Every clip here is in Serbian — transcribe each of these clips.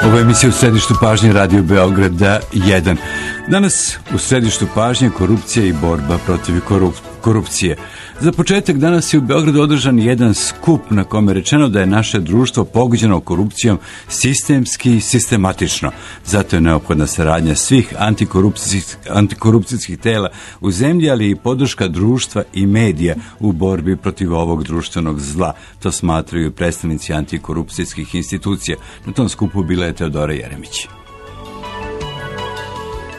Ovo je emisija u središtu pažnje Radio Beograda 1. Danas u središtu pažnje korupcija i borba protiv korupcije. Za početak danas je u Beogradu održan jedan skup na kome je rečeno da je naše društvo pogođeno korupcijom sistemski i sistematično. Zato je neophodna saradnja svih antikorupcijskih tela u zemlji, ali i podrška društva i medija u borbi protiv ovog društvenog zla. To smatraju predstavnici antikorupcijskih institucija. Na tom skupu bila je Teodora Jeremić.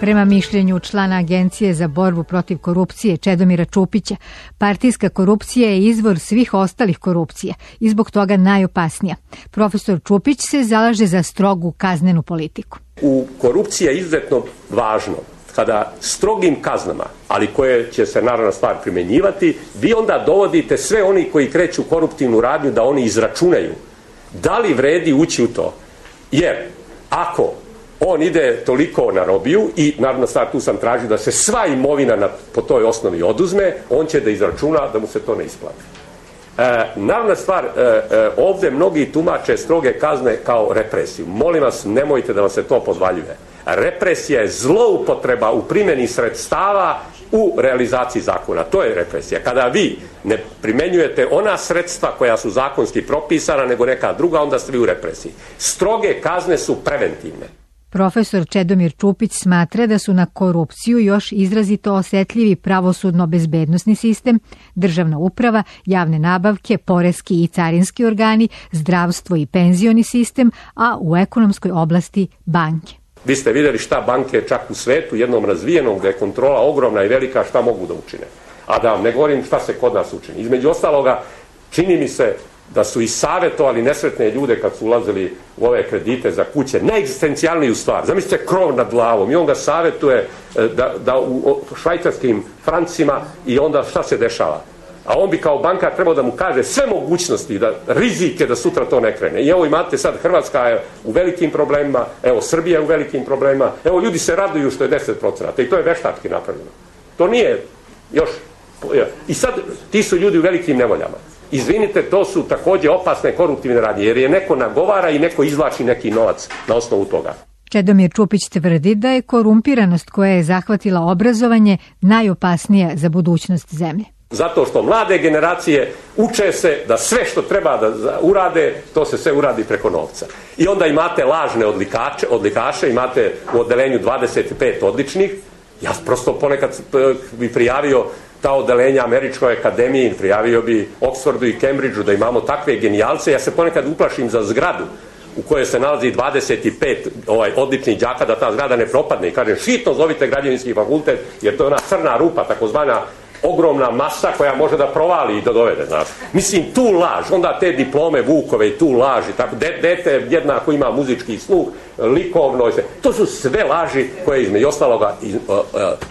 Prema mišljenju člana Agencije za borbu protiv korupcije Čedomira Čupića, partijska korupcija je izvor svih ostalih korupcija i zbog toga najopasnija. Profesor Čupić se zalaže za strogu kaznenu politiku. U korupciji je izuzetno važno kada strogim kaznama, ali koje će se naravno stvar primjenjivati, vi onda dovodite sve oni koji kreću koruptivnu radnju da oni izračunaju da li vredi ući u to. Jer ako on ide toliko na robiju i naravno stvar tu sam tražio da se sva imovina po toj osnovi oduzme, on će da izračuna da mu se to ne isplati. Naravna stvar, ovdje mnogi tumače stroge kazne kao represiju. Molim vas, nemojte da vam se to podvaljuje. Represija je zloupotreba u primjeni sredstava u realizaciji zakona. To je represija. Kada vi ne primjenjujete ona sredstva koja su zakonski propisana nego neka druga, onda ste vi u represiji. Stroge kazne su preventivne. Profesor Čedomir Čupić smatra da su na korupciju još izrazito osetljivi pravosudno-bezbednosni sistem, državna uprava, javne nabavke, poreski i carinski organi, zdravstvo i penzioni sistem, a u ekonomskoj oblasti banke. Vi ste vidjeli šta banke čak u svetu, jednom razvijenom, gdje je kontrola ogromna i velika, šta mogu da učine. A da vam ne govorim šta se kod nas učini. Između ostaloga, čini mi se da su i savjetovali nesretne ljude kad su ulazili u ove kredite za kuće, najegzistencijalniju stvar. Zamislite krov nad glavom i on ga savjetuje da u švajcarskim francima i onda šta se dešava. A on bi kao bankar trebao da mu kaže sve mogućnosti, da rizike da sutra to ne krene. I evo imate sad, Hrvatska je u velikim problemima, evo Srbija je u velikim problemima, evo ljudi se raduju što je 10% i to je veštački napravljeno. To nije još. I sad ti su ljudi u velikim nevoljama. Izvinite, to su također opasne koruptivne radnje, jer je neko nagovara i neko izvlači neki novac na osnovu toga. Čedomir Čupić tvrdi da je korumpiranost koja je zahvatila obrazovanje najopasnija za budućnost zemlje. Zato što mlade generacije uče se da sve što treba da urade, to se sve uradi preko novca. I onda imate lažne odlikaše, imate u odelenju 25 odličnih. Ja prosto ponekad bi prijavio ta odelenja Američkoj akademiji, prijavio bi Oxfordu i Cambridgeu da imamo takve genijalce. Ja se ponekad uplašim za zgradu u kojoj se nalazi 25 odličnih đaka da ta zgrada ne propadne. I kažem, šitno zovite građevinski fakultet, jer to je ona crna rupa, takozvana ogromna masa koja može da provali i da dovede, znaš. Mislim, tu laž, onda te diplome Vukove i tu laži, tako, dete jednako ima muzički sluh, likovno, to su sve laži koje između ostaloga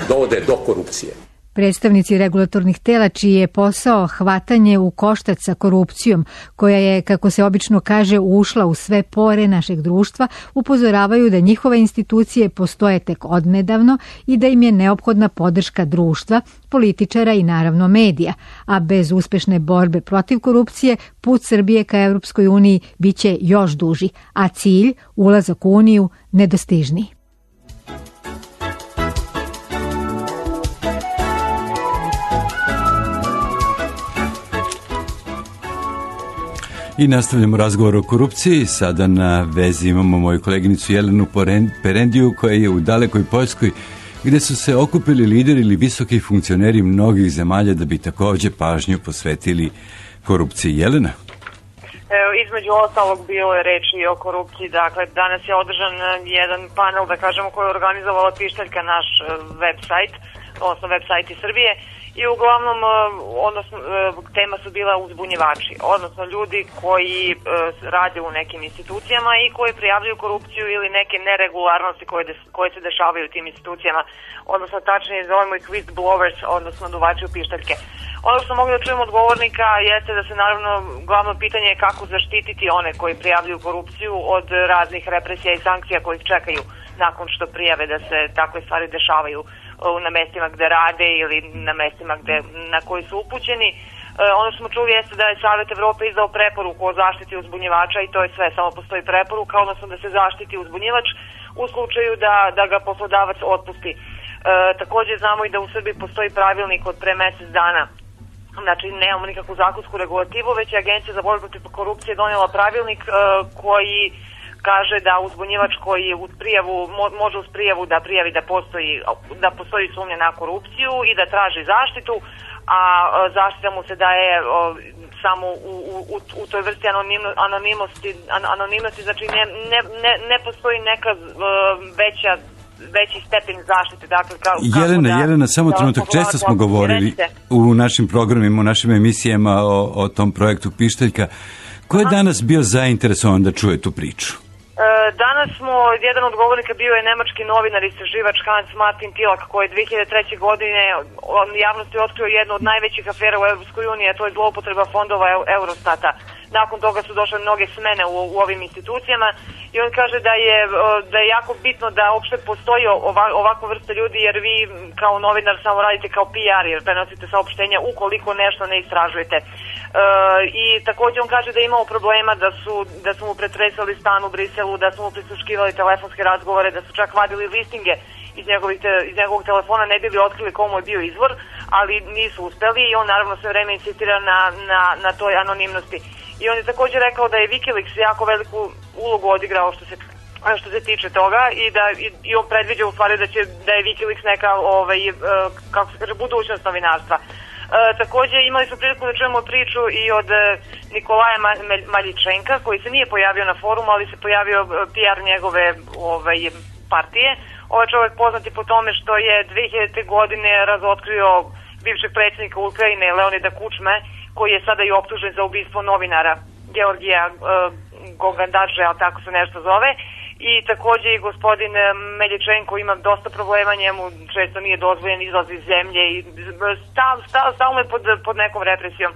dovode do korupcije. Predstavnici regulatornih tela čiji je posao hvatanje u koštac sa korupcijom, koja je, kako se obično kaže, ušla u sve pore našeg društva, upozoravaju da njihove institucije postoje tek odnedavno i da im je neophodna podrška društva, političara i naravno medija, a bez uspešne borbe protiv korupcije put Srbije ka Evropskoj uniji biće još duži, a cilj, ulazak u Uniju, nedostižniji. I nastavljamo razgovor o korupciji. Sada na vezi imamo moju koleginicu Jelenu Perendiju koja je u dalekoj Poljskoj gdje su se okupili lideri ili visoki funkcioneri mnogih zemalja da bi također pažnju posvetili korupciji. Jelena? Između ostalog bilo je reči o korupciji. Dakle, danas je održan jedan panel, da kažemo, koji je organizovala Pištaljka, naš website, odnosno website Srbije. I uglavnom, odnosno, tema su bila uzbunjivači, odnosno ljudi koji rade u nekim institucijama i koji prijavljuju korupciju ili neke neregularnosti koje se dešavaju u tim institucijama, odnosno tačnije zovemo ih whistleblowers, odnosno duvači u pištaljke. Ono što smo mogli da čujemo od govornika jeste da se naravno glavno pitanje je kako zaštititi one koji prijavljuju korupciju od raznih represija i sankcija koji ih čekaju nakon što prijave da se takve stvari dešavaju na mestima gde rade ili na mestima na koji su upućeni. Ono što smo čuli jeste da je Savet Evrope izdao preporuku o zaštiti uzbunjivača i to je sve, samo postoji preporuka, odnosno da se zaštiti uzbunjivač u slučaju da ga poslodavac otpusti. Takođe znamo i da u Srbiji postoji pravilnik od pre mesec dana. Znači, nemamo nikakvu zakonsku regulativu, već je Agencija za borbu protiv korupcije donijela pravilnik koji kaže da uzbunjivač koji uz prijavu, može uz prijavu da prijavi da postoji sumnja na korupciju i da traži zaštitu, a zaštita mu se daje samo u toj vrsti anonimnosti, znači ne postoji neka veći stepen zaštite. Dakle, Jelena, samo trenutak, često smo govorili u našim programima, u našim emisijama o tom projektu Pištaljka. Ko je danas bio zainteresovan da čuje tu priču? Danas smo, jedan od govornika bio je nemački novinar i istraživač Hans Martin Tilak, koji je 2003. godine javnosti otkrio jednu od najvećih afera u Europskoj uniji, a to je zloupotreba fondova Eurostata. Nakon toga su došle mnoge smene u ovim institucijama i on kaže da je jako bitno da uopšte postoji ovakva vrsta ljudi, jer vi kao novinar samo radite kao PR, jer prenosite saopštenja ukoliko nešto ne istražujete. I takođe on kaže da je imao problema da su mu pretresali stan u Briselu, da su mu prisluškivali telefonske razgovore, da su čak vadili listinge iz njegovog telefona, ne bili otkrili komu je bio izvor, ali nisu uspeli i on naravno sve vreme insistira na toj anonimnosti. I on je također rekao da je Wikileaks jako veliku ulogu odigrao što se tiče toga i on predviđa u stvari da je Wikileaks neka kako se kaže, budućnost novinarstva. Takođe imali smo priliku da čujemo priču i od Nikolaja Maljičenka, koji se nije pojavio na forumu, ali se pojavio PR njegove partije. Ovaj čovjek poznat je po tome što je 2000. godine razotkrio bivšeg predsjednika Ukrajine Leonida Kučme, koji je sada i optužen za ubistvo novinara Georgija Gogandaže, ali tako se nešto zove. I takođe i gospodin Meljičenko ima dosta problema, njemu često nije dozvoljen izlaz iz zemlje i stalno je pod nekom represijom.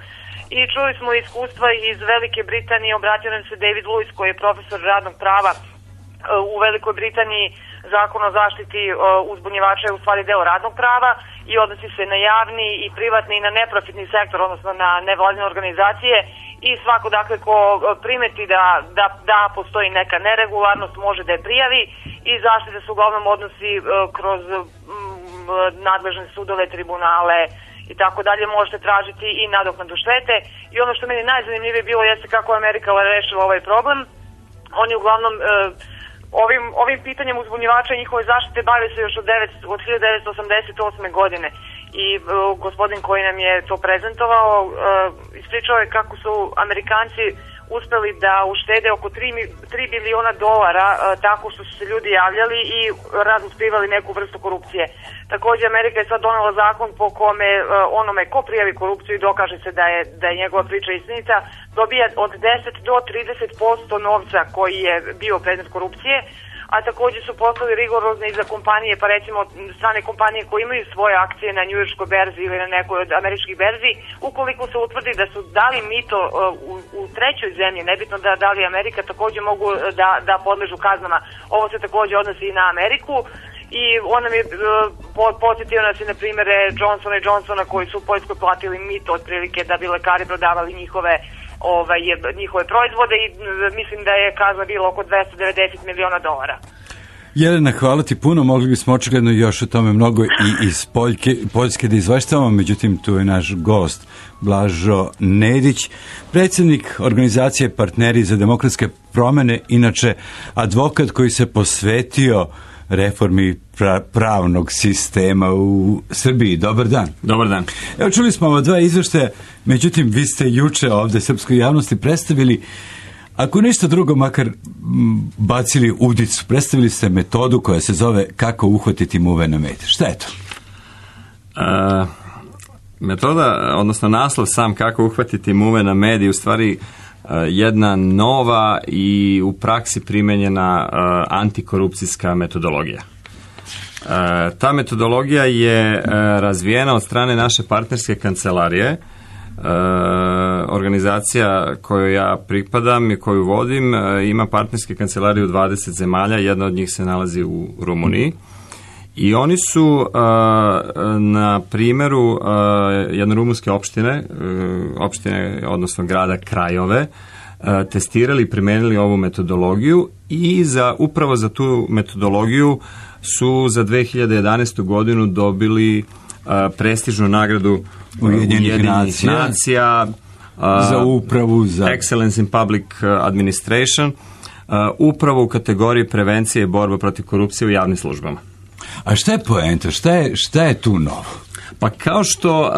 I čuli smo iskustva iz Velike Britanije, obratio nam se David Lewis, koji je profesor radnog prava u Velikoj Britaniji. Zakon o zaštiti uzbunjivača je u stvari deo radnog prava i odnosi se na javni i privatni i na neprofitni sektor, odnosno na nevladine organizacije. I svako, dakle, ko primeti da postoji neka neregularnost, može da je prijavi i zaštita se uglavnom odnosi kroz nadležne sudove, tribunale i tako dalje. Možete tražiti i nadoknadu štete. I ono što meni najzanimljivije bilo jeste kako je Amerika rešila ovaj problem. Oni uglavnom ovim pitanjem uzbunjivača i njihove zaštite bave se još od 1988. godine. I gospodin koji nam je to prezentovao ispričao je kako su Amerikanci uspeli da uštede oko $3 biliona tako što su se ljudi javljali i razotkrivali neku vrstu korupcije. Takođe Amerika je sad donela zakon po kome onome ko prijavi korupciju i dokaže se da je njegova priča istinita, dobija od 10 do 30% novca koji je bio predmet korupcije, a takođe su postali rigorozni i za kompanije, pa recimo strane kompanije koje imaju svoje akcije na njujorškoj berzi ili na nekoj od američkih berzi, ukoliko se utvrdi da su dali mito u trećoj zemlji, nebitno da li Amerika, takođe mogu da podležu kaznama. Ovo se takođe odnosi i na Ameriku i on nam je podsjetio nas i na primere Johnsona i Johnsona koji su u Poljskoj platili mito otprilike da bi lekari prodavali njihove proizvode i mislim da je kazna bila oko $290 miliona. Jelena, hvala ti puno, mogli bismo očigledno još o tome mnogo i iz Poljske da izveštavamo, međutim tu je naš gost Blažo Nedić, predsjednik organizacije Partneri za demokratske promene, inače advokat koji se posvetio reformi pravnog sistema u Srbiji. Dobar dan. Dobar dan. Evo, čuli smo ova dva izveštaja, međutim vi ste juče ovde srpskoj javnosti predstavili, ako ništa drugo, makar bacili udicu, predstavili ste metodu koja se zove kako uhvatiti muve na med. Šta je to? Metoda, odnosno naslov sam kako uhvatiti muve na med je u stvari jedna nova i u praksi primenjena antikorupcijska metodologija. Ta metodologija je razvijena od strane naše partnerske kancelarije. Organizacija kojoj ja pripadam i koju vodim ima partnerske kancelarije u 20 zemalja, jedna od njih se nalazi u Rumuniji I oni su na primjeru jedne rumunske opštine, odnosno grada Krajove, testirali i primenili ovu metodologiju i upravo za tu metodologiju su za 2011. godinu dobili prestižnu nagradu Ujedinjenih nacija za upravu, za Excellence in Public Administration, upravo u kategoriji prevencije i borba protiv korupcije u javnim službama. A šta je poenta? Šta je tu novo? Pa kao što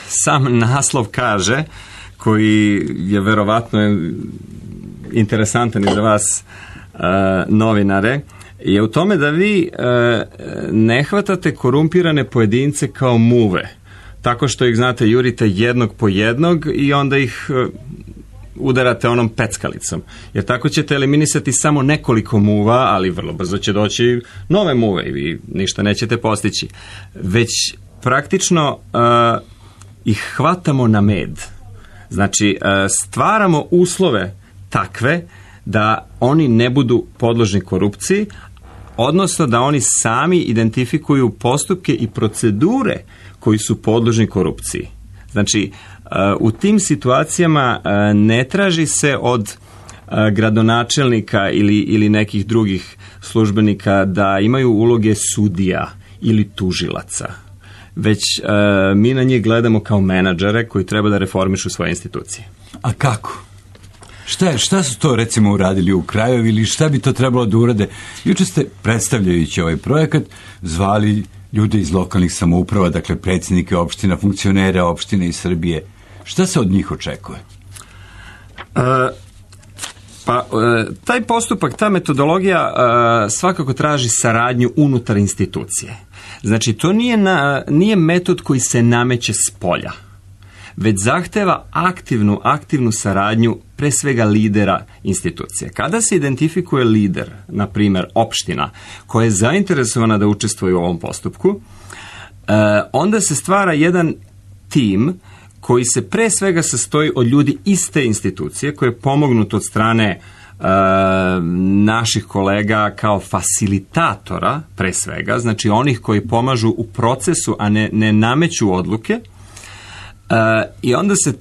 sam naslov kaže, koji je verovatno interesantan i za vas novinare, je u tome da vi ne hvatate korumpirane pojedince kao muve, tako što ih, znate, jurite jednog po jednog i onda ih udarate onom peckalicom. Jer tako ćete eliminisati samo nekoliko muva, ali vrlo brzo će doći nove muve i vi ništa nećete postići. Već praktično ih hvatamo na med. Znači, stvaramo uslove takve da oni ne budu podložni korupciji, odnosno da oni sami identifikuju postupke i procedure koji su podložni korupciji. Znači, u tim situacijama ne traži se od gradonačelnika ili nekih drugih službenika da imaju uloge sudija ili tužilaca, već mi na njih gledamo kao menadžere koji treba da reformišu svoje institucije. A kako? Šta su to, recimo, uradili u Krajovi ili šta bi to trebalo da urade? Juče ste, predstavljajući ovaj projekat, zvali ljude iz lokalnih samouprava, dakle predsjednike opština, funkcionere opštine iz Srbije. Šta se od njih očekuje? Taj postupak, ta metodologija svakako traži saradnju unutar institucije. Znači, to nije metod koji se nameće s polja, već zahteva aktivnu saradnju pre svega lidera institucije. Kada se identifikuje lider, na primjer opština, koja je zainteresovana da učestvuje u ovom postupku, onda se stvara jedan tim koji se pre svega sastoji od ljudi iste institucije, koje je pomognut od strane naših kolega kao fasilitatora, pre svega, znači onih koji pomažu u procesu, a ne nameću odluke. I onda se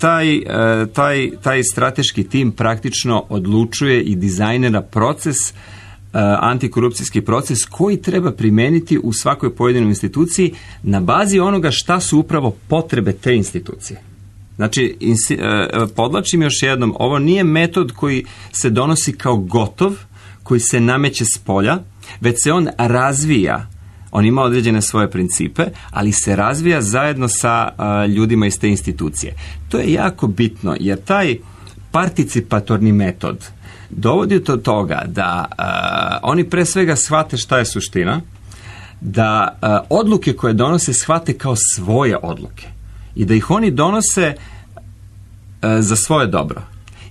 taj strateški tim praktično odlučuje i dizajnera proces, antikorupcijski proces koji treba primeniti u svakoj pojedinoj instituciji na bazi onoga šta su upravo potrebe te institucije. Znači, podlačim još jednom, ovo nije metod koji se donosi kao gotov, koji se nameće s polja, već se on razvija. On ima određene svoje principe, ali se razvija zajedno sa ljudima iz te institucije. To je jako bitno, jer taj participatorni metod dovodi do toga da oni pre svega shvate šta je suština, da odluke koje donose shvate kao svoje odluke i da ih oni donose za svoje dobro.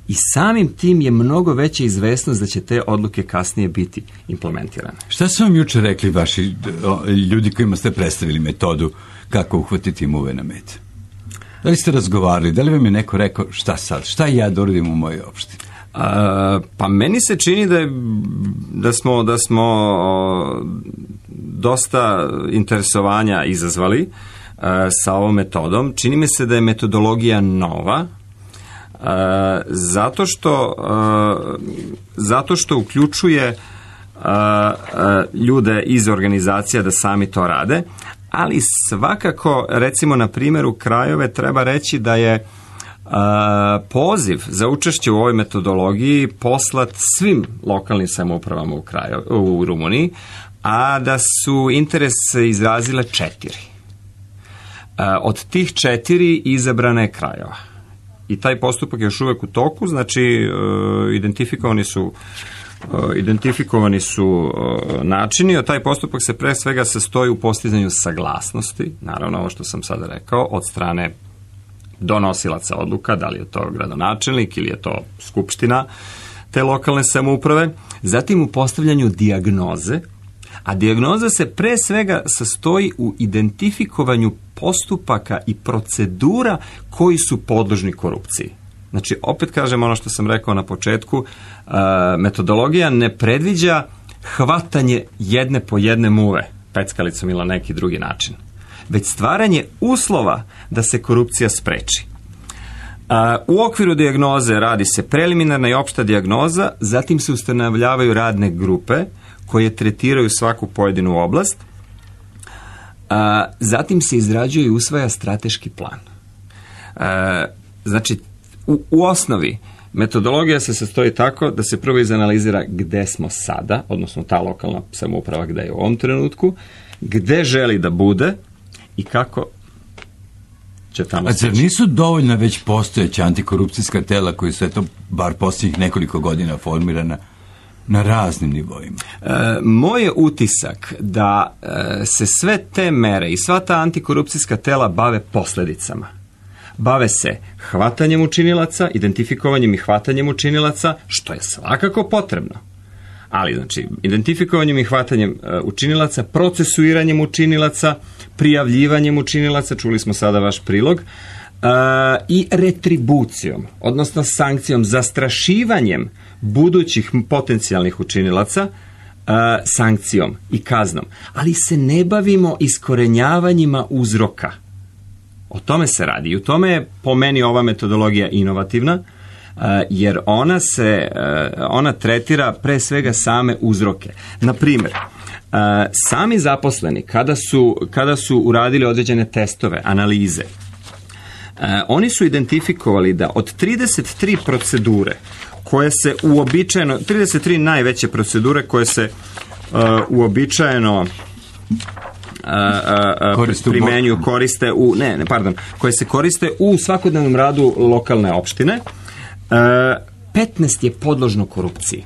I samim tim je mnogo veća izvesnost da će te odluke kasnije biti implementirane. Šta su vam juče rekli vaši ljudi kojima ste predstavili metodu kako uhvatiti muve na med? Da li ste razgovarali? Da li vam je neko rekao šta sad? Šta ja da uradim u mojoj opštini? Pa meni se čini da smo dosta interesovanja izazvali sa ovom metodom. Čini mi se da je metodologija nova, zato što uključuje ljude iz organizacija da sami to rade, ali svakako, recimo na primjeru Krajove, treba reći da je poziv za učešće u ovoj metodologiji poslat svim lokalnim samoupravama u Rumuniji, a da su interes izrazile 4. Od tih 4 izabrana je Krajova. I taj postupak je još uvek u toku, znači identifikovani su načini, a taj postupak se pre svega sastoji u postizanju saglasnosti, naravno ovo što sam sada rekao, od strane donosilaca odluka, da li je to gradonačelnik ili je to skupština te lokalne samouprave, zatim u postavljanju dijagnoze, a dijagnoza se pre svega sastoji u identifikovanju postupaka i procedura koji su podložni korupciji. Znači, opet kažem ono što sam rekao na početku, metodologija ne predviđa hvatanje jedne po jedne muve. peckalicom ili na neki drugi način, već stvaranje uslova da se korupcija spreči. U okviru dijagnoze radi se preliminarna i opšta dijagnoza, zatim se ustanovljavaju radne grupe koje tretiraju svaku pojedinu oblast, zatim se izrađuje i usvaja strateški plan. Znači, u osnovi metodologija se sastoji tako da se prvo izanalizira gde smo sada, odnosno ta lokalna samouprava gde je u ovom trenutku, gde želi da bude i kako će tamo stići. A zar nisu dovoljna već postojeća antikorupcijska tela koji su bar posljednjih nekoliko godina formirana na raznim nivoima? Moj je utisak da se sve te mere i sva ta antikorupcijska tela bave posljedicama. Bave se hvatanjem učinilaca, identifikovanjem i hvatanjem učinilaca, što je svakako potrebno. Ali, znači, identifikovanjem i hvatanjem učinilaca, procesuiranjem učinilaca, prijavljivanjem učinilaca, čuli smo sada vaš prilog, i retribucijom, odnosno sankcijom, zastrašivanjem budućih potencijalnih učinilaca, sankcijom i kaznom. Ali se ne bavimo iskorenjavanjima uzroka. O tome se radi i u tome je po meni ova metodologija inovativna, jer ona tretira pre svega same uzroke. Na primjer, sami zaposleni kada su uradili određene testove, analize, oni su identifikovali da od 33 procedure koje se uobičajeno, 33 najveće procedure koje se uobičajeno primenjuju, koje se koriste u svakodnevnom radu lokalne opštine, 15 je podložno korupciji.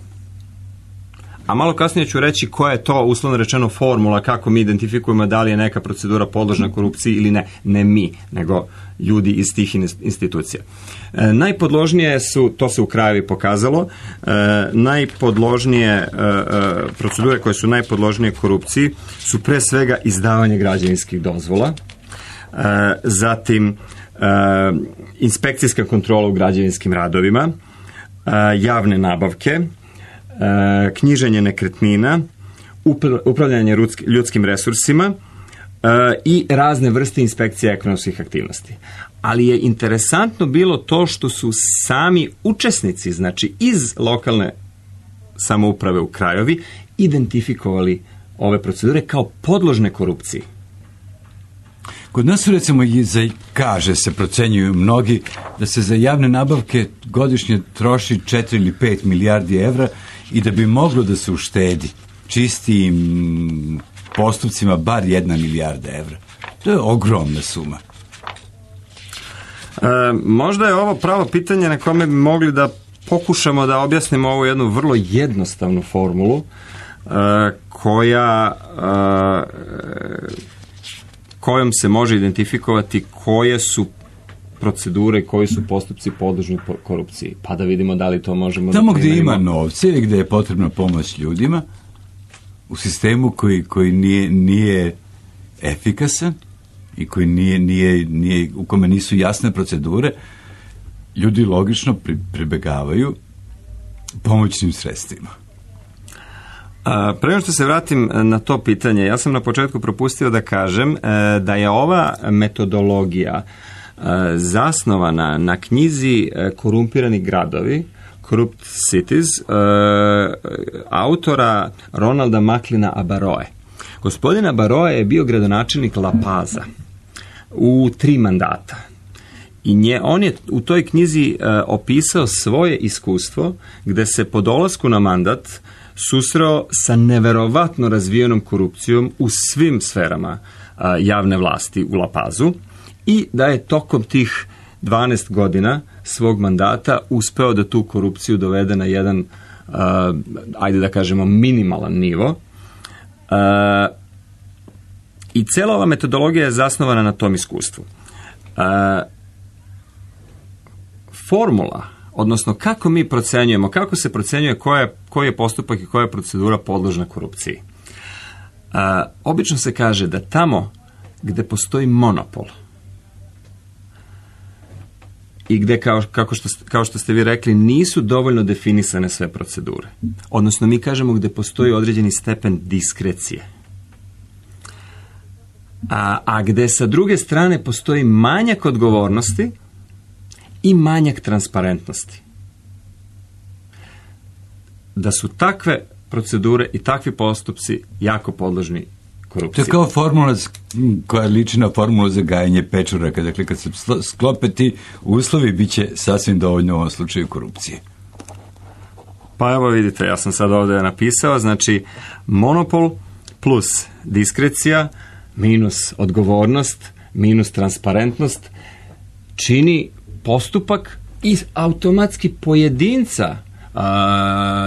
A malo kasnije ću reći koja je to, uslovno rečeno, formula kako mi identifikujemo da li je neka procedura podložna korupciji ili ne. Ne mi, nego ljudi iz tih institucija. Najpodložnije su, to se u Krajevi pokazalo, najpodložnije procedure koje su najpodložnije korupciji su pre svega izdavanje građevinskih dozvola, zatim inspekcijska kontrola u građevinskim radovima, javne nabavke, knjiženje nekretnina, upravljanje ljudskim resursima i razne vrste inspekcije ekonomskih aktivnosti. Ali je interesantno bilo to što su sami učesnici, znači iz lokalne samouprave u Krajevi, identifikovali ove procedure kao podložne korupciji. Kod nas su, recimo, kaže se, procenjuju mnogi, da se za javne nabavke godišnje troši 4 ili 5 milijardi evra i da bi moglo da se uštedi čistim postupcima bar 1 milijarda evra. To je ogromna suma. Možda je ovo pravo pitanje na kome bi mogli da pokušamo da objasnimo ovu jednu vrlo jednostavnu formulu kojom se može identifikovati koje su procedure i koji su postupci podložni korupciji. Pa da vidimo da li to možemo... Tamo gdje ima novce ili gdje je potrebna pomoć ljudima, u sistemu koji nije efikasan i koji nije, u kome nisu jasne procedure, ljudi logično pribegavaju pomoćnim sredstvima. Prema što se vratim na to pitanje, ja sam na početku propustio da kažem da je ova metodologija zasnovana na knjizi Korumpirani gradovi, Corrupt Cities, autora Ronalda Macleana Abaroe. Gospodin Abaroe je bio gradonačelnik La Paza u 3 mandata. I on je u toj knjizi opisao svoje iskustvo gde se po dolasku na mandat susreo sa neverovatno razvijenom korupcijom u svim sferama javne vlasti u La Pazu i da je tokom tih 12 godina svog mandata uspeo da tu korupciju dovede na jedan, ajde da kažemo, minimalan nivo. I cela ova metodologija je zasnovana na tom iskustvu. Formula, odnosno kako mi procenjujemo, kako se procenjuje koji je postupak i koja je procedura podložna korupciji. Obično se kaže da tamo gde postoji monopol i gde, kao što ste vi rekli, nisu dovoljno definisane sve procedure. Odnosno, mi kažemo gde postoji određeni stepen diskrecije. a gde sa druge strane postoji manjak odgovornosti i manjak transparentnosti. Da su takve procedure i takvi postupci jako podložni korupciji. To je kao formula koja liči na formulu za gajanje pečuraka. Dakle, kad se sklope ti uslovi, bit će sasvim dovoljno u ovom slučaju korupcije. Pa evo vidite, ja sam sad ovdje napisao, znači monopol plus diskrecija minus odgovornost minus transparentnost čini postupak i automatski pojedinca,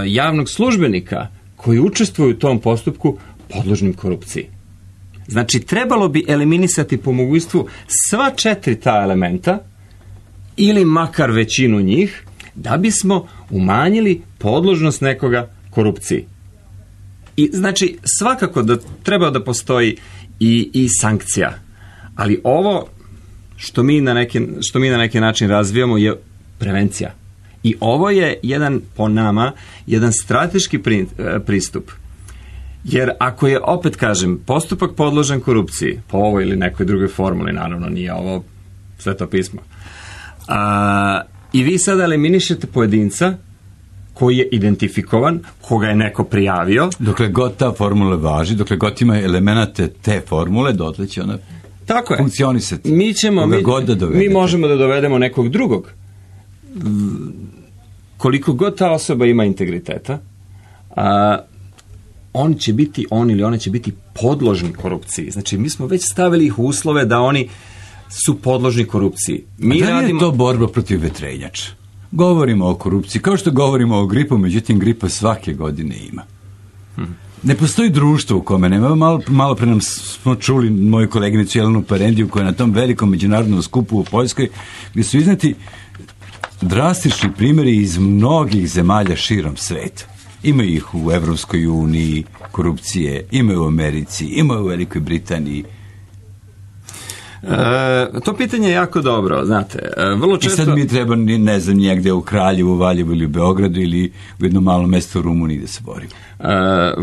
javnog službenika koji učestvuju u tom postupku podložnim korupciji. Znači, trebalo bi eliminisati po mogućstvu sva 4 ta elementa ili makar većinu njih da bismo umanjili podložnost nekoga korupciji. I znači, svakako da treba da postoji i sankcija. Ali ovo što mi na neki način razvijamo je prevencija. I ovo je po nama, jedan strateški pristup. Jer ako je, opet kažem, postupak podložen korupciji, po ovoj ili nekoj drugoj formuli, naravno nije ovo Sveto pismo, i vi sada eliminišete pojedinca koji je identifikovan, koga je neko prijavio. Dokle god ta formula važi, dokle god ima elemenate te formule, dotle će ona funkcionisati. Mi možemo da dovedemo nekog drugog. Koliko god ta osoba ima integriteta, on ili ona će biti podložni korupciji. Znači, mi smo već stavili ih u uslove da oni su podložni korupciji. Da li je to borba protiv vetrenjača? Govorimo o korupciji, kao što govorimo o gripu, međutim gripa svake godine ima. Ne postoji društvo u kome nema. Malo pre nam smo čuli moju koleginicu Jelenu Parendiju koja je na tom velikom međunarodnom skupu u Poljskoj, gdje su izneti drastični primjeri iz mnogih zemalja širom sveta. Ima ih u Evropskoj uniji korupcije, ima u Americi, ima u Velikoj Britaniji. To pitanje je jako dobro, znate. Vrlo često... I sad mi treba, ne znam, njegde u Kraljevu, Valjevu ili u Beogradu ili u jednom malom mjestu u Rumuniji da se borimo.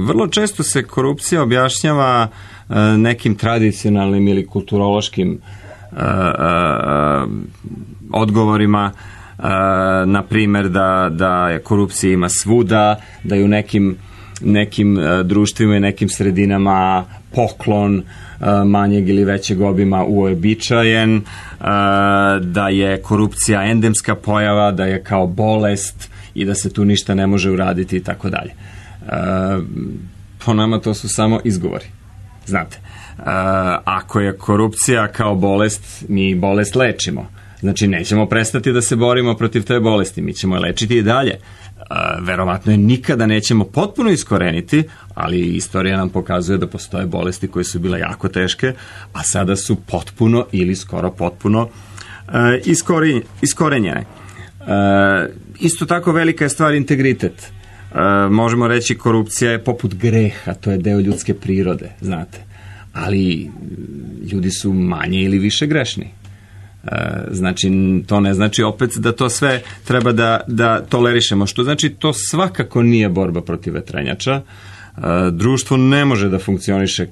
Vrlo često se korupcija objašnjava nekim tradicionalnim ili kulturološkim odgovorima, na primjer da korupcija ima svuda, da je u nekim društvima i nekim sredinama poklon manjeg ili većeg obima uobičajen, da je korupcija endemska pojava, da je kao bolest i da se tu ništa ne može uraditi i tako dalje. Po nama to su samo izgovori. Znate, ako je korupcija kao bolest, mi bolest lečimo. Znači, nećemo prestati da se borimo protiv te bolesti, mi ćemo je lečiti i dalje. Verovatno je nikada nećemo potpuno iskoreniti, ali istorija nam pokazuje da postoje bolesti koje su bile jako teške, a sada su potpuno ili skoro potpuno iskorenjene. Isto tako velika je stvar integritet. Možemo reći korupcija je poput greha, to je deo ljudske prirode, znate. Ali ljudi su manje ili više grešni. Znači, to ne znači opet da to sve treba da tolerišemo, što znači to svakako nije borba protiv vetrenjača. Društvo ne može da funkcioniše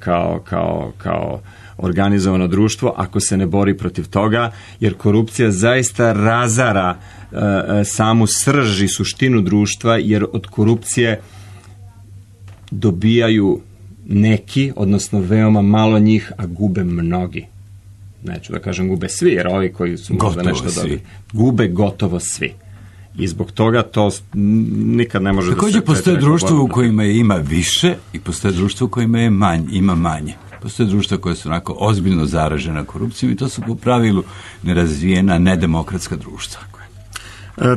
kao organizovano društvo ako se ne bori protiv toga, jer korupcija zaista razara samu srž i suštinu društva, jer od korupcije dobijaju neki, odnosno veoma malo njih, a gube mnogi. Neću da kažem gube svi, jer ovi koji su možda nešto dobili. Gube gotovo svi. I zbog toga to nikad ne može također da se... Također postoje društvo u kojima ima više i postoje društvo u kojima ima manje. Postoje društva koje su onako ozbiljno zaražena korupcijom i to su po pravilu nerazvijena, nedemokratska društva.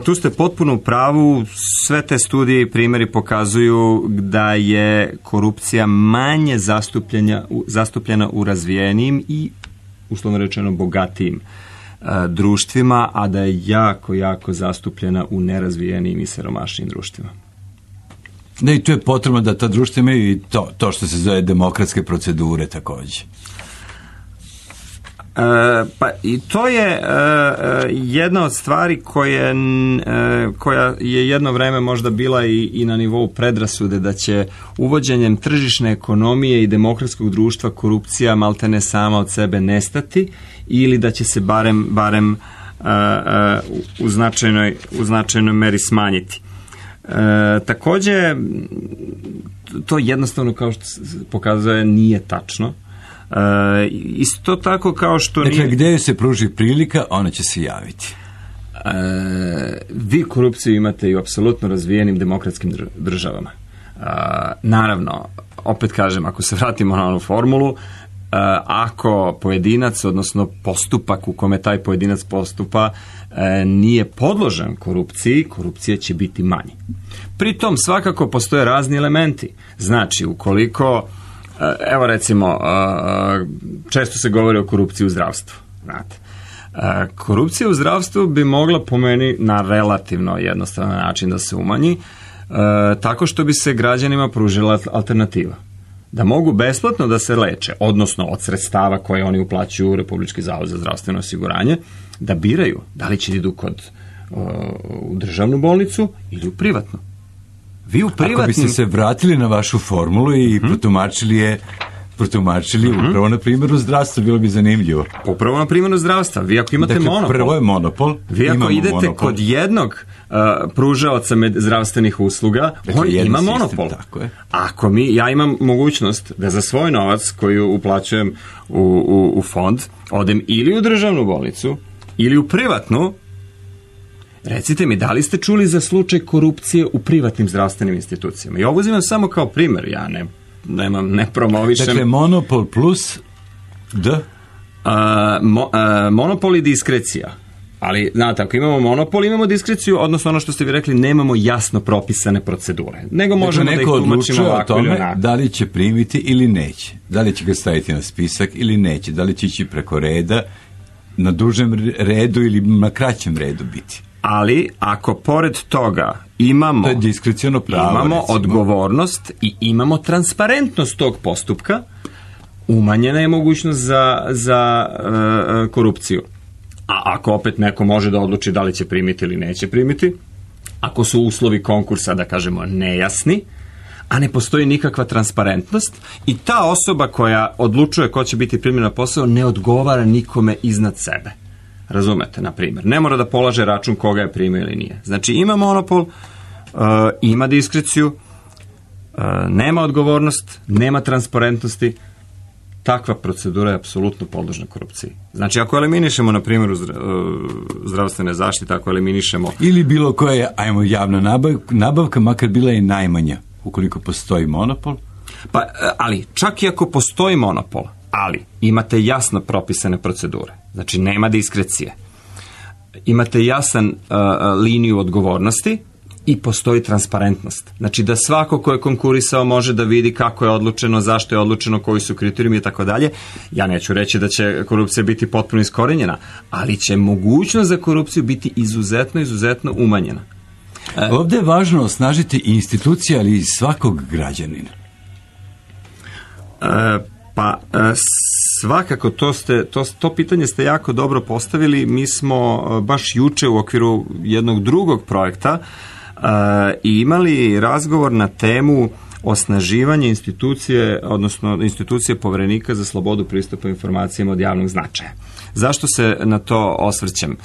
Tu ste potpuno u pravu. Sve te studije i primjeri pokazuju da je korupcija manje zastupljena u razvijenijim i uslovno rečeno bogatijim društvima, a da je jako, jako zastupljena u nerazvijenijim i siromašnijim društvima. Da, i tu je potrebno da ta društva imaju i to što se zove demokratske procedure također. Pa i to je jedna od stvari koja je jedno vreme možda bila i na nivou predrasude, da će uvođenjem tržišne ekonomije i demokratskog društva korupcija maltene sama od sebe nestati, ili da će se barem u značajnoj meri smanjiti. Takođe, to jednostavno, kao što se pokazuje, nije tačno. Isto tako kao što dakle, gde se pruži prilika, ona će se javiti. Vi korupciju imate i u apsolutno razvijenim demokratskim državama. Naravno, opet kažem, ako se vratimo na onu formulu, ako pojedinac, odnosno postupak u kome taj pojedinac postupa nije podložen korupciji, korupcija će biti manje. Pritom svakako postoje razni elementi. Znači, ukoliko, evo recimo, često se govori o korupciji u zdravstvu. Znate, korupcija u zdravstvu bi mogla, po meni, na relativno jednostavan način da se umanji, tako što bi se građanima pružila alternativa. Da mogu besplatno da se leče, odnosno od sredstava koje oni uplaćuju u Republički zavod za zdravstveno osiguranje, da biraju da li će idu u državnu bolnicu ili u privatnu. Vi u privatnim... Ako biste se vratili na vašu formulu i protumačili upravo na primjeru zdravstva, bilo bi zanimljivo. Upravo na primjeru zdravstva. Vi ako imate monopol... Prvo je monopol. Vi ako idete monopol kod jednog pružaoca zdravstvenih usluga, on ima monopol. Tako je. Ako ja imam mogućnost da za svoj novac koji uplaćujem u fond, odem ili u državnu bolnicu, ili u privatnu, recite mi, da li ste čuli za slučaj korupcije u privatnim zdravstvenim institucijama? I ovo uzimam samo kao primjer, ja ne promovišem. Dakle, monopol plus monopol i diskrecija. Ali, znate, ako imamo monopol, imamo diskreciju, odnosno ono što ste vi rekli, nemamo jasno propisane procedure. Nego možemo da ih tumačimo ovako ili onako. Da li će primiti ili neće. Da li će ga staviti na spisak ili neće. Da li će ići preko reda, na dužem redu ili na kraćem redu biti. Ali, ako pored toga imamo odgovornost i imamo transparentnost tog postupka, umanjena je mogućnost za korupciju. A ako opet neko može da odluči da li će primiti ili neće primiti, ako su uslovi konkursa, da kažemo, nejasni, a ne postoji nikakva transparentnost i ta osoba koja odlučuje ko će biti primljen na posao ne odgovara nikome iznad sebe. Razumete, na primjer. Ne mora da polaže račun koga je primio ili nije. Znači, ima monopol, ima diskreciju, nema odgovornost, nema transparentnosti. Takva procedura je apsolutno podložna korupciji. Znači, ako eliminišemo, na primjer, zdravstvene zaštite, ako eliminišemo... Ili bilo koja, javna nabavka, makar bila i najmanja, ukoliko postoji monopol. Pa, ali, čak i ako postoji monopol, ali imate jasno propisane procedure. Znači, nema diskrecije. Imate jasan liniju odgovornosti i postoji transparentnost. Znači, da svako ko je konkurisao može da vidi kako je odlučeno, zašto je odlučeno, koji su kriterijumi i tako dalje. Ja neću reći da će korupcija biti potpuno iskorenjena, ali će mogućnost za korupciju biti izuzetno umanjena. Ovdje je važno osnažiti institucije, ali i svakog građanina. Pa svakako to pitanje ste jako dobro postavili. Mi smo baš juče u okviru jednog drugog projekta i imali razgovor na temu osnaživanje institucije, odnosno institucije Poverenika za slobodu pristupa informacijama od javnog značaja. Zašto se na to osvrćem?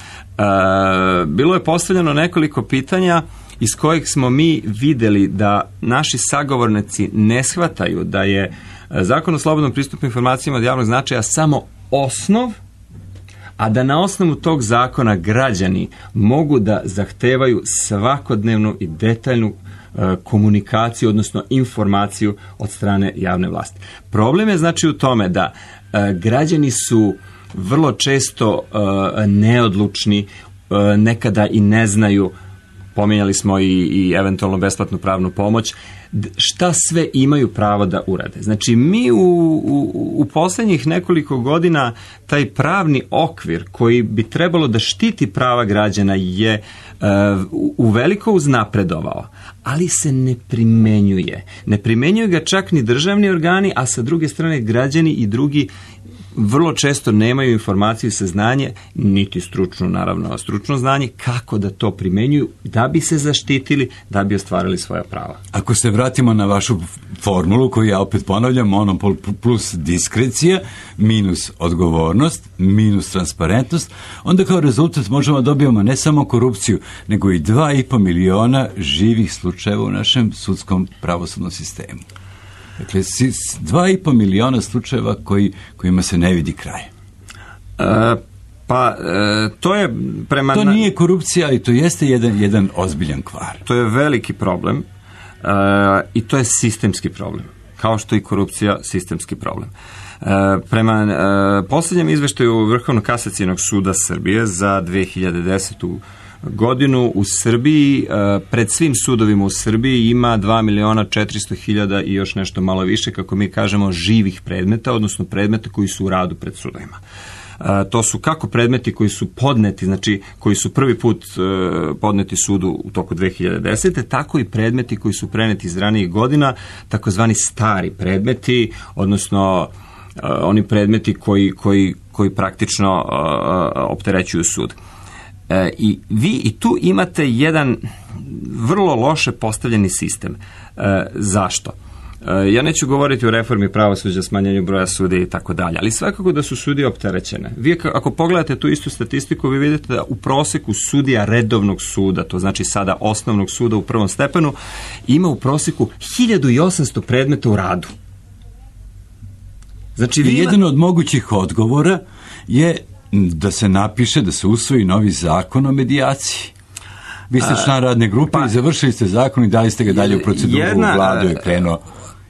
Bilo je postavljeno nekoliko pitanja iz kojih smo mi vidjeli da naši sagovornici ne shvataju da je Zakon o slobodnom pristupu informacijama od javnog značaja samo osnov, a da na osnovu tog zakona građani mogu da zahtevaju svakodnevnu i detaljnu komunikaciju, odnosno informaciju od strane javne vlasti. Problem je znači u tome da građani su vrlo često neodlučni, nekada i ne znaju, pominjali smo i eventualno besplatnu pravnu pomoć, šta sve imaju pravo da urade. Znači, mi u posljednjih nekoliko godina taj pravni okvir koji bi trebalo da štiti prava građana je uveliko uznapredovao, ali se ne primenjuje. Ne primenjuju ga čak ni državni organi, a sa druge strane građani i drugi vrlo često nemaju informaciju i saznanje, niti stručno znanje, kako da to primenjuju, da bi se zaštitili, da bi ostvarili svoja prava. Ako se vratimo na vašu formulu, koju ja opet ponavljam, monopol plus diskrecija, minus odgovornost, minus transparentnost, onda kao rezultat možemo dobijemo ne samo korupciju, nego i 2,5 miliona živih slučajeva u našem sudskom pravosudnom sistemu. Dakle, 2,5 miliona slučajeva kojima se ne vidi kraj. To je prema... To nije korupcija i to jeste jedan ozbiljan kvar. To je veliki problem i to je sistemski problem. Kao što i korupcija sistemski problem. Prema posljednjem izveštaju Vrhovnog kasacionog suda Srbije za 2010. godinu u Srbiji, pred svim sudovima u Srbiji ima 2.400.000 i još nešto malo više, kako mi kažemo, živih predmeta, odnosno predmeta koji su u radu pred sudovima. To su kako predmeti koji su podneti, znači koji su prvi put podneti sudu u toku 2010. tako i predmeti koji su preneti iz ranijih godina, takozvani stari predmeti, odnosno oni predmeti koji praktično opterećuju sud. I vi i tu imate jedan vrlo loše postavljeni sistem. Zašto? Ja neću govoriti o reformi pravosuđa, smanjenju broja sudija i tako dalje, ali svakako da su sudije opterećene. Vi ako pogledate tu istu statistiku, vi vidite da u proseku sudija redovnog suda, to znači sada osnovnog suda u prvom stepenu, ima u proseku 1800 predmeta u radu. Znači, jedan od mogućih odgovora je da se napiše, da se usvoji novi zakon o medijaciji. Vi ste član radne grupe i završili ste zakon i dali ste ga dalje u proceduru, u vladu je krenuo.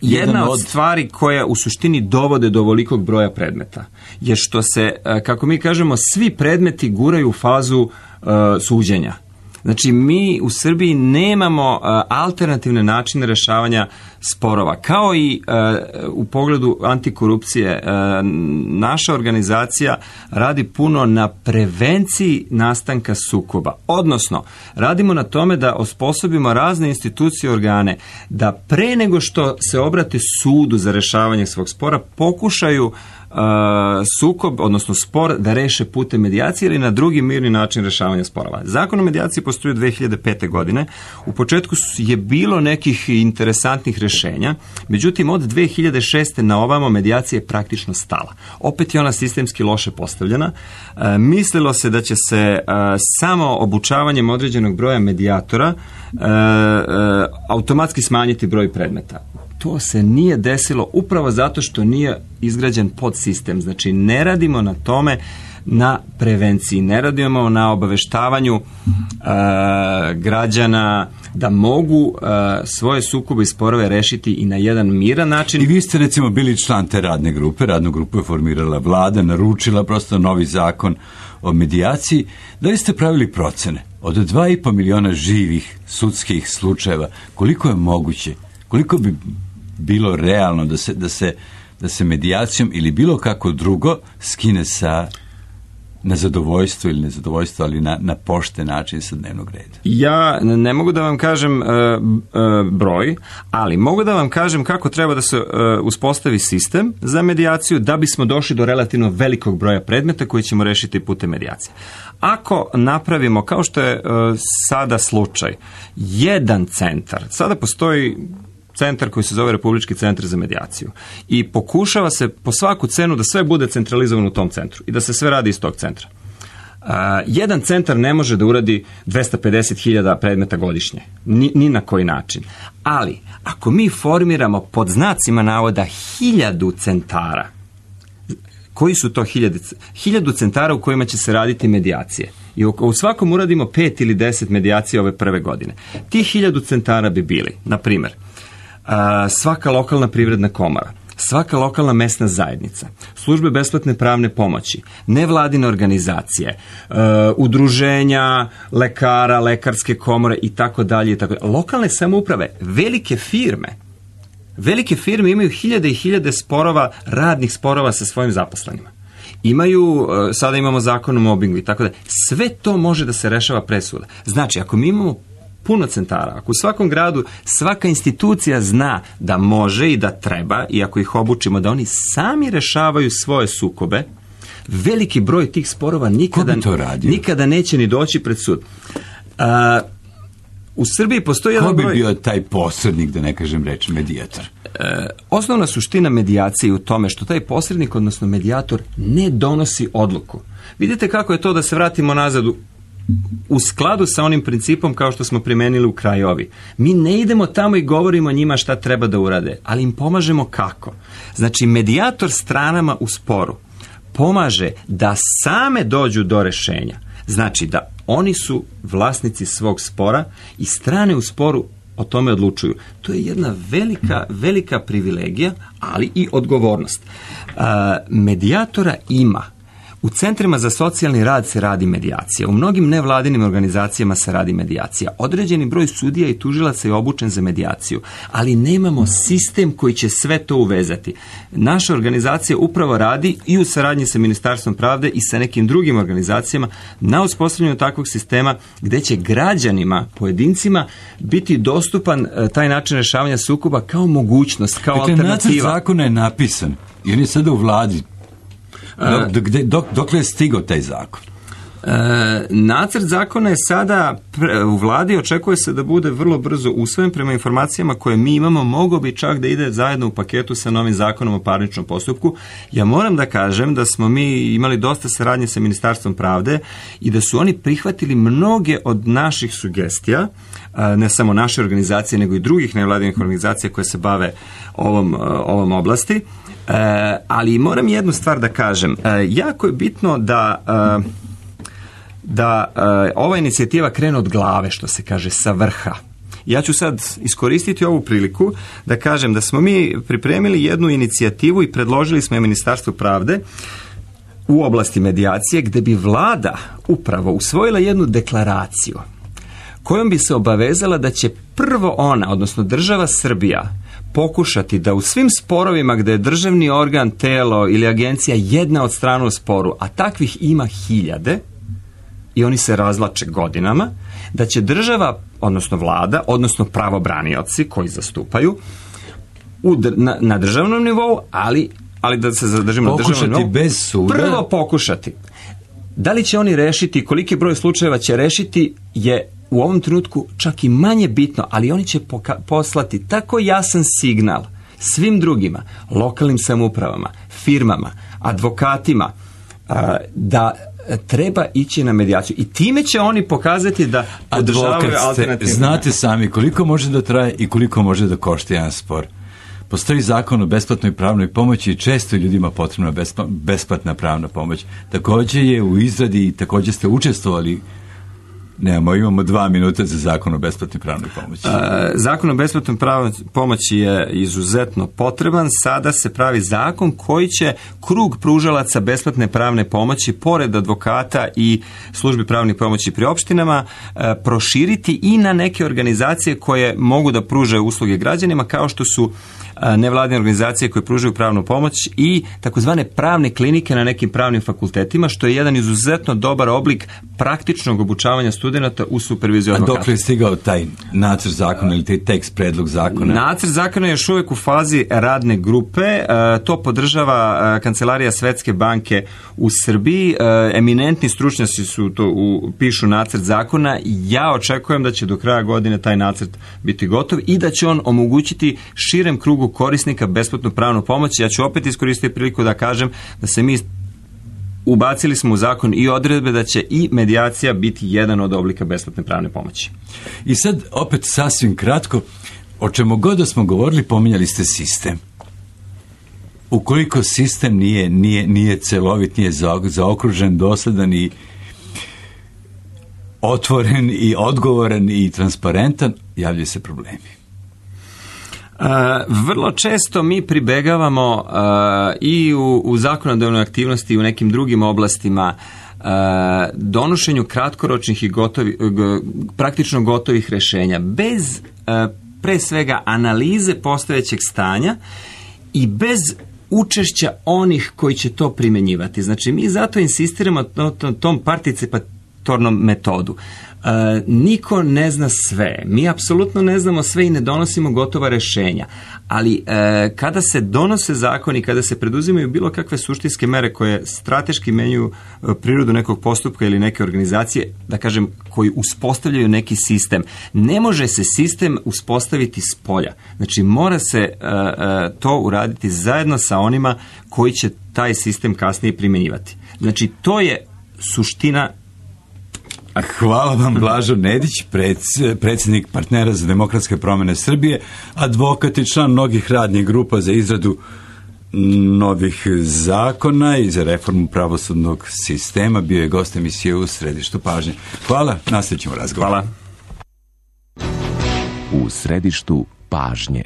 Jedna od stvari koja u suštini dovode do ovolikog broja predmeta je što se, kako mi kažemo, svi predmeti guraju u fazu suđenja. Znači, mi u Srbiji nemamo alternativne načine rešavanja sporova. Kao i u pogledu antikorupcije, naša organizacija radi puno na prevenciji nastanka sukoba. Odnosno, radimo na tome da osposobimo razne institucije i organe da pre nego što se obrate sudu za rešavanje svog spora, pokušaju sukob, odnosno spor, da reše putem medijacije ili na drugi mirni način rešavanja sporova. Zakon o medijaciji postoji 2005. godine. U početku je bilo nekih interesantnih rešenja, međutim od 2006. na ovamo medijacija je praktično stala. Opet je ona sistemski loše postavljena. Mislilo se da će se samo obučavanjem određenog broja medijatora automatski smanjiti broj predmeta. To se nije desilo upravo zato što nije izgrađen podsistem. Znači, ne radimo na tome, na prevenciji, ne radimo na obaveštavanju građana da mogu svoje sukobe i sporove rešiti i na jedan miran način. I vi ste recimo bili član te radne grupe, radnu grupu je formirala vlada, naručila prosto novi zakon o medijaciji. Da li ste pravili procene od 2,5 miliona živih sudskih slučajeva, koliko je moguće, koliko bi bilo realno da se medijacijom ili bilo kako drugo skine na zadovoljstvo ili nezadovoljstvo, ali na pošten način sa dnevnog reda? Ja ne mogu da vam kažem broj, ali mogu da vam kažem kako treba da se uspostavi sistem za medijaciju da bismo došli do relativno velikog broja predmeta koji ćemo rešiti putem medijacije. Ako napravimo, kao što je sada slučaj, jedan centar, sada postoji centar koji se zove Republički centar za medijaciju i pokušava se po svaku cenu da sve bude centralizovano u tom centru i da se sve radi iz tog centra. Jedan centar ne može da uradi 250.000 predmeta godišnje, ni na koji način. Ali, ako mi formiramo pod znacima navoda 1000 centara, koji su to 1000 centara u kojima će se raditi medijacije? I u svakom uradimo 5 ili 10 medijacija ove prve godine. Ti 1000 centara bi bili, na primjer, svaka lokalna privredna komora, svaka lokalna mesna zajednica, službe besplatne pravne pomoći, nevladine organizacije, udruženja lekara, lekarske komore i tako dalje. Lokalne samouprave, velike firme imaju hiljade i hiljade sporova, radnih sporova sa svojim zaposlenima. Sada imamo zakon o mobingu i tako da. Sve to može da se rešava pre suda. Znači, ako mi imamo puno centara, ako u svakom gradu svaka institucija zna da može i da treba, i ako ih obučimo da oni sami rešavaju svoje sukobe, veliki broj tih sporova nikada neće ni doći pred sud. U Srbiji postoji jedan broj... Ko bi bio taj posrednik, da ne kažem reč, medijator? Osnovna suština medijacije je u tome što taj posrednik, odnosno medijator, ne donosi odluku. Vidite kako je to, da se vratimo nazad u skladu sa onim principom kao što smo primenili u Krajovi. Mi ne idemo tamo i govorimo njima šta treba da urade, ali im pomažemo kako. Znači, medijator stranama u sporu pomaže da same dođu do rešenja. Znači da oni su vlasnici svog spora i strane u sporu o tome odlučuju. To je jedna velika privilegija, ali i odgovornost. Medijatora ima. U centrima za socijalni rad se radi medijacija. U mnogim nevladinim organizacijama se radi medijacija. Određeni broj sudija i tužilaca je obučen za medijaciju, ali nemamo sistem koji će sve to uvezati. Naša organizacija upravo radi i u saradnji sa Ministarstvom pravde i sa nekim drugim organizacijama na uspostavljanju takvog sistema gde će građanima, pojedincima biti dostupan taj način rešavanja sukoba kao mogućnost, kao alternativa. Nacrt zakona je napisan i on je sada u vladi. Dokle je stigao taj zakon? Nacrt zakona je sada u vladi, očekuje se da bude vrlo brzo usvojen. Prema informacijama koje mi imamo, mogao bi čak da ide zajedno u paketu sa novim zakonom o parničnom postupku. Ja moram da kažem da smo mi imali dosta saradnje sa Ministarstvom pravde i da su oni prihvatili mnoge od naših sugestija, ne samo naše organizacije, nego i drugih nevladinih organizacija koje se bave ovom oblasti. Ali moram jednu stvar da kažem. Jako je bitno da ova inicijativa krene od glave, što se kaže, sa vrha. Ja ću sad iskoristiti ovu priliku da kažem da smo mi pripremili jednu inicijativu i predložili smo je Ministarstvu pravde u oblasti medijacije, gde bi vlada upravo usvojila jednu deklaraciju kojom bi se obavezala da će prvo ona, odnosno država Srbija, pokušati da u svim sporovima gde je državni organ, telo ili agencija jedna od strana u sporu, a takvih ima hiljade i oni se razvlače godinama, da će država, odnosno vlada, odnosno pravobranioci koji zastupaju na državnom nivou, ali da se zadržimo na državnom nivou, bez suda. Prvo pokušati. Da li će oni rešiti, koliki broj slučajeva će rešiti, je u ovom trenutku čak i manje bitno, ali oni će poslati tako jasan signal svim drugima, lokalnim samoupravama, firmama, advokatima, da treba ići na medijaciju. I time će oni pokazati da podržavaju alternativne. Znate sami koliko može da traje i koliko može da košta jedan spor. Postoji zakon o besplatnoj pravnoj pomoći i često ljudima potrebna besplatna pravna pomoć. Također je u izradi i također ste učestvovali. Imamo 2 minuta za zakon o besplatnoj pravnoj pomoći. Zakon o besplatnoj pravnoj pomoći je izuzetno potreban. Sada se pravi zakon koji će krug pružalaca besplatne pravne pomoći, pored advokata i službi pravne pomoći pri opštinama, proširiti i na neke organizacije koje mogu da pružaju usluge građanima, kao što su nevladine organizacije koje pružaju pravnu pomoć i takozvane pravne klinike na nekim pravnim fakultetima, što je jedan izuzetno dobar oblik praktičnog obučavanja studenata u superviziju advokata. A dok je stigao taj nacrt zakona ili taj tekst, predlog zakona? Nacrt zakona je još uvijek u fazi radne grupe. To podržava Kancelarija Svetske banke u Srbiji. Eminentni stručnjaci su pišu nacrt zakona. Ja očekujem da će do kraja godine taj nacrt biti gotov i da će on omogućiti širem krugu korisnika besplatnu pravnu pomoć. Ja ću opet iskoristiti priliku da kažem da se mi ubacili smo u zakon i odredbe da će i medijacija biti jedan od oblika besplatne pravne pomoći. I sad opet sasvim kratko, o čemu god da smo govorili, pominjali ste sistem. Ukoliko sistem nije celovit, nije zaokružen, dosadan i otvoren i odgovoran i transparentan, javljaju se problemi. Vrlo često mi pribegavamo i u zakonodavnoj aktivnosti i u nekim drugim oblastima donošenju kratkoročnih i praktično gotovih rešenja bez pre svega analize postojećeg stanja i bez učešća onih koji će to primenjivati. Znači mi zato insistiramo na tom metodu. Niko ne zna sve. Mi apsolutno ne znamo sve i ne donosimo gotova rešenja. Ali kada se donose zakoni, kada se preduzimaju bilo kakve suštinske mere koje strateški menjaju prirodu nekog postupka ili neke organizacije, da kažem, koji uspostavljaju neki sistem, ne može se sistem uspostaviti s polja. Znači, mora se to uraditi zajedno sa onima koji će taj sistem kasnije primjenjivati. Znači, to je suština. Hvala vam, Blažo Nedić, predsjednik Partnera za demokratske promjene Srbije, advokat i član mnogih radnih grupa za izradu novih zakona i za reformu pravosudnog sistema. Bio je gost emisije U središtu pažnje. Hvala, nastavit ćemo razgovor. Hvala. U središtu pažnje.